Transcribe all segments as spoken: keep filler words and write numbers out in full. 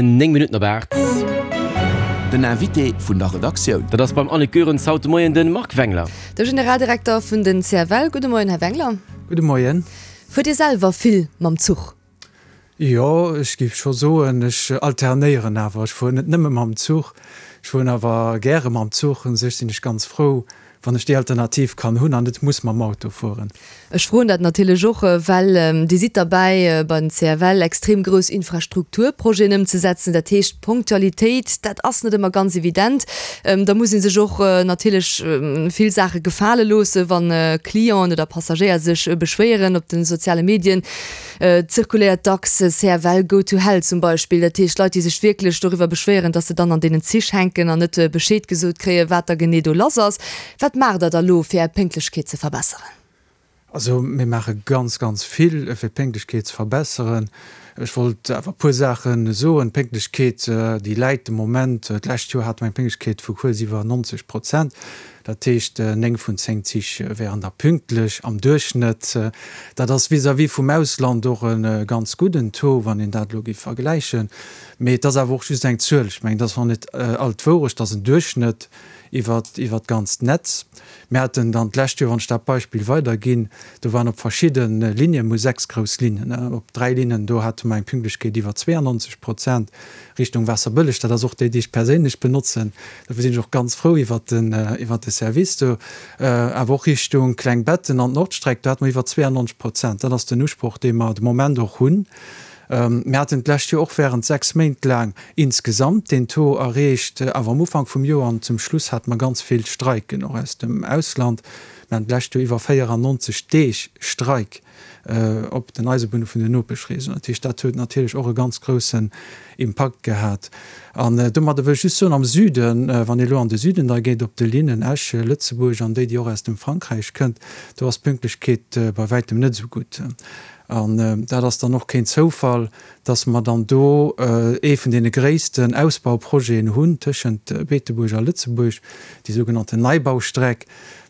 Néng Minutten op aacht. Den Invité vun der Redaktioun. Dat ass beim Annick Goerens haut de Moien de Marc Wengler. De Generaldirekter vun den C F L. Gudde Moien, Här Wengler. Gudde Moien. Fuert Dir selwer vill mam Zuch? Jo, ech géif scho soen, ech alternéieren awer. Ech fueren net nëmme mam Zuch, ech fueren awer gäre mam Zuch. U sech sinn ech ganz frou, wann ech déi Alternativ kann hunn an net muss mam Auto fueren. Ech froen dat natierlech och, well Dir sidd derbäi bei den C F L extrem grouss Infrastrukturprojeten ëmzesetzen. Dat heescht, Ponktualitéit, dat ass net ëmmer ganz evident. Da muss ee sech och natierlech vill Saache gefale loossen, wann Clienten oder Passagéier sech beschwéieren. Op de soziale Medien zirkuléiert dacks C F L go to hell zum Beispill. Dat heescht, Leit, déi sech wierklech doriwwer beschwéieren, dass se dann an deenen Zich hänken an net Bescheed gesot kréien, wat da genee do lass ass. Wat maacht Der da lo, fir Är Pénktlechkeet ze verbesseren? Also mir maache ganz, ganz vill, fir d'Pénktlechkeet ze verbesseren. Ech wollt awer e puer Saache soen. D'Pénktlechkeet, déi läit de Moment, d'lescht Joer hate mer eng Pénktlechkeet vu kuerz iwwer neunzeg Prozent. Dat heescht, néng vun zéng Zich wären da pünktlech am Duerchschnëtt. Dat ass vis-à-vis vum Ausland och e ganz gudden Taux, wann een dat elo géif vergläichen. Mee et ass awer och just eng Zuel. Ech mengen, dat ass nach net all d'Wourecht, dat ass en Duerchschnëtt iwwer iwwer d'ganzt Netz. Mir haten dann d'lescht Joer, wann ech dat Beispill weiderginn, do waren op verschidde Linien, mir hu sechs grouss Linnen, op dräi Linnen, do hate mer eng Pünktlechkeet iwwer zwéianonzeg Prozent Richtung Waasserbëlleg. Dat ass och déi, déi ech perséinlech benotzen. Dofir sinn ech och ganz frou iwwer den iwwer de Service do. Awer och Richtung Klengbetten an d'Nordstreck, do hate mer iwwer zwéianonzeg Prozent. Dat ass den Usproch, dee mer de Moment och hunn. Mir haten d'lescht Joer och während sechs Méint laang insgesamt deen Taux erreecht, awer am Ufank vum Joer an zum Schluss hate mer ganz vill Streiken, och aus dem Ausland. Mir haten d'lescht Joer iwwer véierannonzeg Deeg Streik op den Eisebunne vun den Nopeschregionen. Dat heescht, dat huet natierlech och e ganz groussen Impakt gehat. An domadder wëll ech just soen, am Süden, wann ee elo an de Süden da geet, op de Linnen Esch, Lëtzebuerg an déi, déi och aus dem Frankräich kënnt, do ass d'Pünktlechkeet bei wäitem net esou gutt. An dat ass dann och keen Zoufall, dass mer dann do ee vun deene gréissten Ausbauprojeten hunn tëschent Beetebuerg a Lëtzebuerg, déi sougenannten Neibaustreck.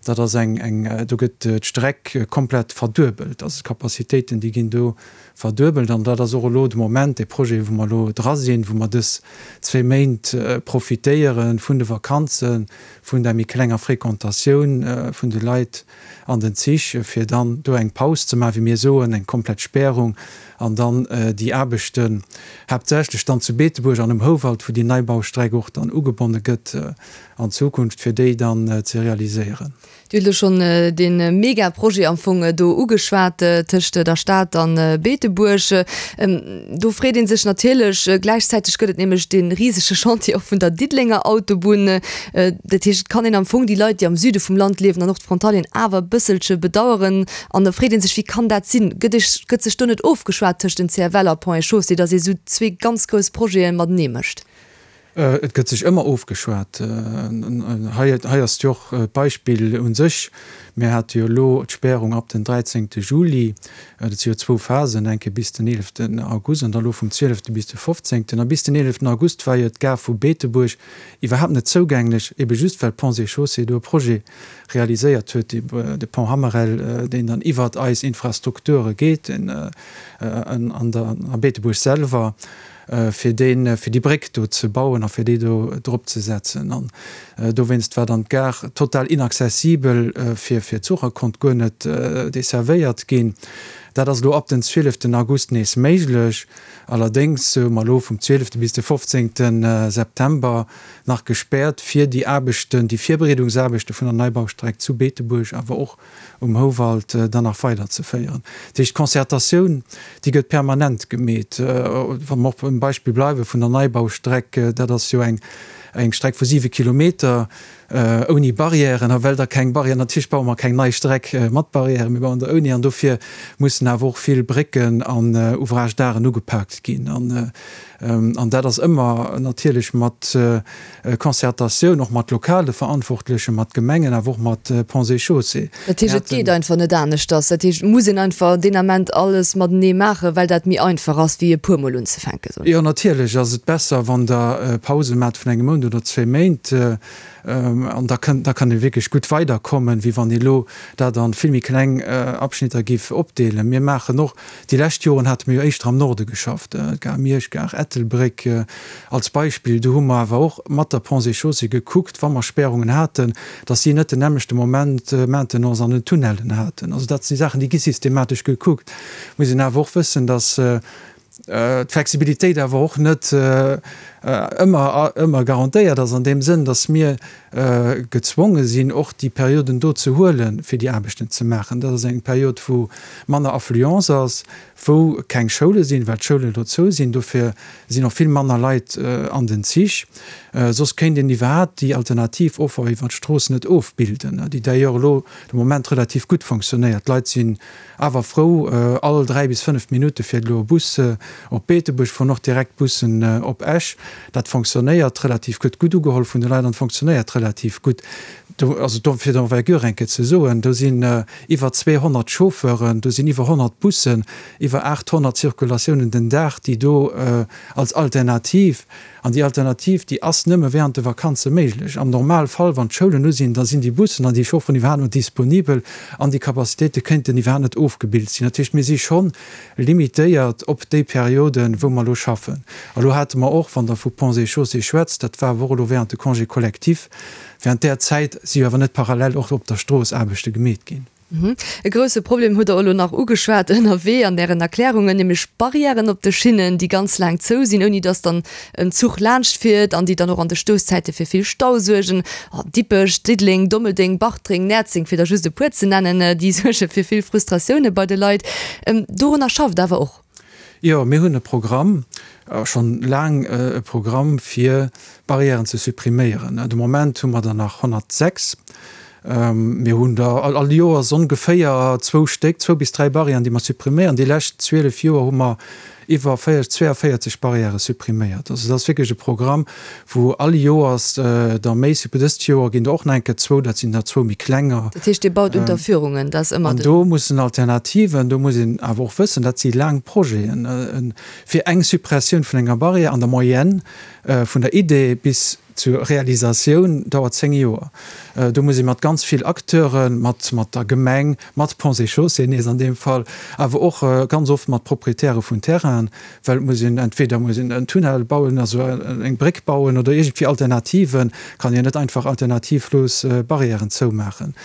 Dat ass eng, eng, do gëtt d'Streck komplett verduebelt, also d'Capacitéiten, déi ginn do verduebelt. An dat ass och elo de Moment dee Projet, wou mer elo dra sinn, wou mer dës zwee Méint profitéiere vun de Vakanzen, vun der méi klenger Fréquentatioun vun de Leit an den Zich, fir dann do eng Paus ze maachen, wéi mir soen, eng komplett Spärung, an dann déi Aarbechten haaptsächlech dann zu Beetebuerg an um Houwald, wou déi Neibaustreck och dann ugebonne gëtt an Zukunft, fir déi dann ze realiséieren. Dir hutt elo schonn dee Megaprojet am Fong do ugeschwat tëscht der Stad an Beetebuerg. Do freet ee sech natierlech, gläichzäiteg gëtt et nämlech dee risege Chantier och vun der Diddelenger Autobunn. Dat heescht, et kann een am Fong déi Leit, déi am Süde vum Land liewen an och d'Frontalieren awer e bësselche bedauern. An da freet ee sech, wéi kann dat sinn? Gëtt ech, gëtt sech do net ofgeschwat tëscht den C F L a Ponts et Chaussées, datt ee sou zwee ganz grouss Projete matenee mécht? Et gëtt sech ëmmer ofgeschwat. Hei, hei ass jo och d'Beispill u sech. Mir hate jo elo d'Spärung ab den dräizéngte Juli. Dat si jo zwou Phasen, eng Kéier bis den eeleften August an da elo vum zwielefte bis de fofzéngten. A bis den eeleften August war jo d'Gare vu Beetebuerg iwwerhaapt net zougänglech, ebe just well Ponts et Chaussées do e Projet realiséiert huet, de Pont Hammerel, deen dann iwwert eis Infrastrukture geet, an der, a Beetebuerg selwer, fir deen, fir déi Bréck do ze bauen a fir déi do drop ze setzen. An dowéinst war dann d'Gare total inaccessibel fir, fir Zuch a konnt guer net desservéiert ginn. Dat ass elo ab den zwieleften August nees méiglech. Allerdéngs hu mer elo vum zwielefte bis de fofzéngte September nach gespäert, fir déi Aarbechten, déi Virbereedungsaarbechte vun der Neibaustreck zu Beetebuerg, awer och um Houwald dann nach weiderzeféieren. Dat heescht, d'Concertatioun, déi gëtt permanent gemeet. Wa mer och beim Beispill bleiwe vun der Neibaustreck, dat ass jo eng eng Streck vu siwe Kilometer ouni Barrièren. A well da keng Barrièren, natierlech baue mer keng nei Streck mat Barrièren, mir bauen der ouni. An dofir mussen awer och vill Brécken an Ouvrages d'arten ugepaakt ginn. An an dat ass ëmmer natierlech mat Concertatioun, och mat lokale Verantwortlechen, mat Gemengen, awer och mat Ponts et Chaussées. Dat heescht, et geet einfach net aneschters. Dat heescht, et muss een einfach deen Ament alles matenee maachen, well dat méi einfach ass, wéi e puermol unzefänken. Jo, natierlech ass et besser, wann Der Pause maacht vun engem Mount oder zwee Méint. An da kënnt, da kann ee wierklech gutt weiderkommen, wéi wann ee elo dat an vill méi kleng Abschnitter géif opdeelen. Mir maachen och, déi lescht Joren hate mir jo éischter am Norde geschafft, Gare Miersch, Gare Ettelbréck als Beispill. Do hu mer awer och mat der Ponts et Chaussées gekuckt, wa mer Spärungen haten, datt si net den nämmlechte Moment Maintenance an den Tunnellen haten. Also dat si Saachen, déi gi systematesch gekuckt. Muss een awer och wëssen, datt d'Flexibilitéit awer och net ëmmer ëmmer garantéiert ass an deem Sënn, datt mir gezwonge sinn, och déi Perioden do ze huelen, fir déi Aarbechten ze maachen. Dat ass eng Period, wou manner Affluence ass, wou keng Schoule sinn, well d'Schoulen elo zou sinn. Dofir sinn och vill manner Leit an den Zich. Soss kéint een iwwerhaapt déi alternativ Offer iwwer d'Strooss net ofbilden, déi d'ailleurs elo de Moment relativ gutt fonctionnéiert. D'Leit sinn awer frou, all dräi bis fënnef Minutte fiert elo e Bus op Beetebuerg, fueren och direkt Bussen op Esch. Dat fonctionnéiert relativ gutt, gutt ugeholl vun de Leit an fonctionnéiert relativ gutt. Do, also do, fir d'Envergure eng Kéier ze soen, do sinn iwwer zweehonnert Chauffeuren, do sinn iwwer honnert Bussen, iwwer aathonnert Circulatiounen den Dag, déi do als Alternativ, an déi Alternativ, déi ass nëmme während de Vakanze méiglech. Am Normalfall, wann d'Schoulen u sinn, da sinn déi Bussen an déi Chaufferen iwwerhaapt net disponibel an déi Capacitéite kéinten iwwerhaapt net ofgebilt sinn. Dat heescht, mir si schonn limitéiert op déi Perioden, wou mer elo schaffen. A lo hate mer och, wann Der vu Ponts et Chaussées schwätzt, dat war awer och elo während de Congés collectifs, während där Zäit si jo awer net parallel och op der Strooss Aarbechte gemeet ginn. E grousse Problem hutt Der elo nach ugeschwat ënnerwee an Ären Erklärungen, nämlech Barrièren op de Schinnen, déi ganz laang zou sinn, ouni datt dann en Zuch laanscht fiert an déi dann och an de Stousszäite fir vill Stau suergen. Dippech, Diddeleng, Dommeldeng, Bartreng, Näerzeng, fir der just e puer ze nennen, déi suerge fir vill Frustratioune bei de Leit. Dorunner schafft awer och. Jo, mir hunn e Programm, schonn laang e Programm, fir Barrièren ze suppriméieren. De Moment hu mer der nach honnertsechs. Mir hunn der all Joers ongeféier zwou Stéck, zwou bis dräi Barrièren, déi mer suppriméieren. Déi lescht zwielef Joer hu mer iwwer zweiundvéierzeg Barrièrë suppriméiert. Also dat ass wierklech e Programm, wou all Joers der méi suppriméiert. Dëst Joer ginn der och nach eng Kéier zwou, dat sinn der zwou méi klenger. Dat heescht, Dir baut Unterführungen, dat ass ëmmer den. An do mussen Alternativen, do muss een awer och wëssen, dat si laang Projeten, fir eng Suppressioun vun enger Barrière an der Moyenne vun der Idee bis zur Realisatioun dauert zéng Joer. Do muss ee mat ganz vill Acteuren, mat mat der Gemeng, mat Ponts et Chaussées nees an deem Fall, awer och ganz oft mat Proprietäre vun Terrainen, well et muss een, entweder muss een en Tunnel bauen, also eng Bréck bauen oder iergendwéi Alternativen, kann een net einfach alternativlos Barrièren zoumaachen.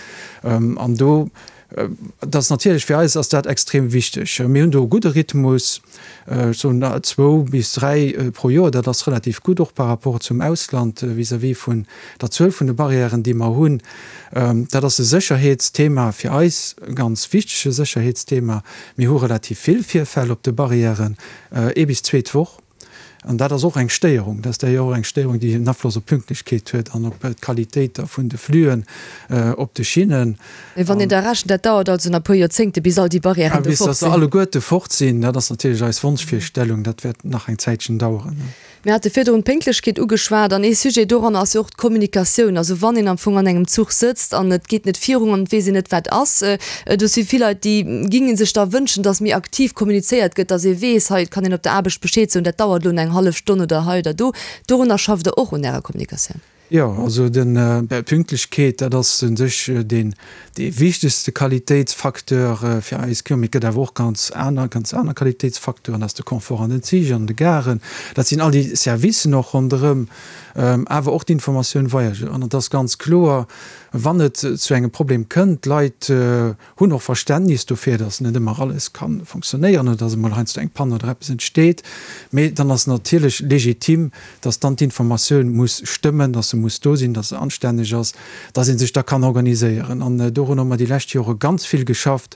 An do Dat ass natierlech, fir eis ass dat extrem wichteg. Mir hunn do e gudde Rhythmus, ech soen zwou bis dräi pro Joer. Dat ass relativ gutt, och par rapport zum Ausland vis-à-vis vun der Zuel vun de Barrièren, déi mer hunn. Dat ass e Sécherheetsthema fir eis, e ganz wichtege Sécherheetsthema. Mir hu relativ vill Virfäll op de Barrièren, ee bis zwee d'Woch. An dat ass och eng Stéierung. Dat ass d'ailleurs och eng Stéierung, déi en Afloss op d'Pünktlechkeet huet an op d'Qualitéit da vun de Flüen op de Schinnen. Mee wann een da rechent, dat dauert also nach e puer Joerzéngte bis all déi Barrièren do Bis fort dass se sinn. alleguerte fort sinn, dat ass natierlech eis Wonschvirstellung. Dat wäert nach eng Zäitchen daueren. Mir hate virdrun d'Pénktlechkeet ugeschwat an ee Sujet doranner ass jo och d'Kommunikatioun. Also wann een am Fong an engem Zuch sëtzt an et geet net virun an et weess een net wat ass, do si vill Leit, déi géinge sech da wënschen, datt méi aktiv kommunizéiert gëtt, datt ee weess, hei et kann een op der Aarbecht Bescheed soen, dat dauert elo eng hallef Stonn oder hei oder do. Dorunner schafft Der och un Ärer Kommunikatioun? Jo, also den Pünktlechkeet, dat ass u sech deen dee wichtegste Qualitéitsfacteur fir eis Clienten. Mee et gëtt awer och ganz aner, ganz aner Qualitéitsfacteuren, dat ass de Confort an den Zich, an de Garen, dat sinn all déi Servicen och ronderëm, awer och d'Informatioun Voyageur. An et ass ganz kloer, wann et zu engem Problem kënnt, d'Leit hunn och Verständnis dofir, datt net ëmmer alles ka fonctionnéieren oder datt emol heiansdo eng Panne oder eppes entsteet. Mee dann ass natierlech legitim, datt dann d'Informatioun muss stëmmen, datt se muss do sinn, datt se anstänneg ass, datt ee sech da kann organiséieren. An dorun hu mer déi lescht Jore ganz vill geschafft,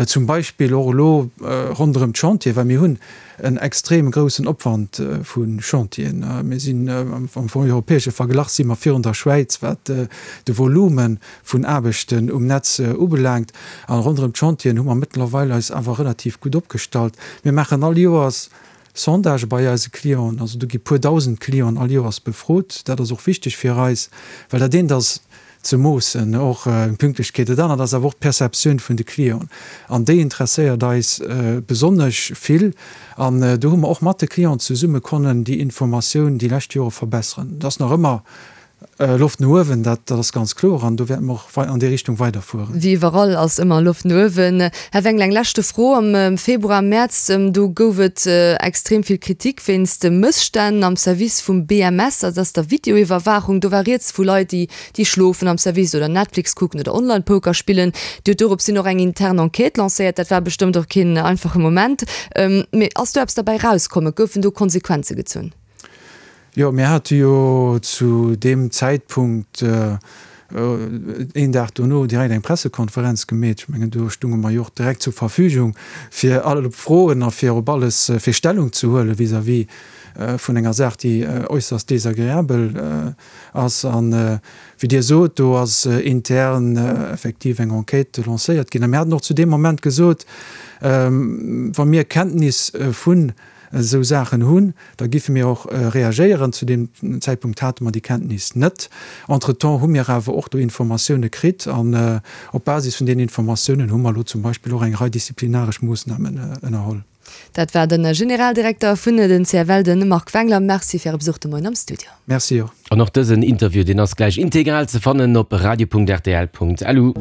zum Beispill och elo ronderëm d'Chantieren, well mir hunn en extrem groussen Opwand vu Chantieren. Mir sinn am europäesche Verglach si mer virun der Schwäiz, wat de Volume vun Aarbechten um Netz ubelaangt. A ronderëm d'Chantieren hu mer mëttlerweil eis awer relativ gutt opgestallt. Mir maachen all Joers Sondagë bei eise Clienten. Also do gi puer dausend Clienten all Joers befrot. Dat ass och wichteg fir eis, well dat eent ass, ze moossen, och d'Pünktlechkeet. Dat anert ass awer och d'Perceptioun vun de Clienten an déi interesséiert eis besonnesch vill. An do hu mer och mat de Clienten zesumme konnen déi Informatioun déi lescht Jore verbesseren. Et ass nach ëmmer Loft no uewen, dat ass ganz kloer an do wäerte mer och an déi Richtung weiderfueren. Wéi iwwerall ass ëmmer Loft no uewen. Här Wengler, eng leschte Fro, Am Februar, Mäerz, do gouf et extrem vill Kritik wéinst de Mësstänn am Service vum B M S, dat ass der Videoiwwerwaachung. Do war rieds vu Leit, déi déi schlofen am Service oder Netflix kucken oder Online-Poker spillen. Dir hutt dorops hin och eng intern Enquête lancéiert. Dat war bestëmmt och keen einfache Moment. Mee ass do eppes derbäi erauskommen? Goufen do Konsequenze gezunn? Jo, mir hate jo zu deem Zäitpunkt, een Dag dono, direkt eng Pressekonferenz gemeet. Ech mengen, do stunge mer jo och direkt zur Verfügung, fir all Froen a fir op alles, fir Stellung ze huele vis-à-vis vun enger Saach, déi äusserst desagreabel ass. An, wéi Dir sot, do ass intern effektiv eng Enquête lancéiert ginn. A mir haten och zu deem Moment gesot, wa mir Kenntnis vun esou Saachen hunn, da giffe mir och reagéieren. Zu deem Zäitpunkt hate mer déi Kenntnis net. Entretemps hu mir awer och do Informatioune kritt an op Basis vun deenen Informatiounen hu mer elo zum Beispill och eng Rei disziplinaresch Moossnamen ënnerholl. Dat war de Generaldirekter vun den C F L, de Marc Wengler. Merci fir Äre Besuch de Moien am Studio. Merci och. An och dësen Interview, deen ass gläich integral ze fannen op radio Punkt R T L Punkt L U.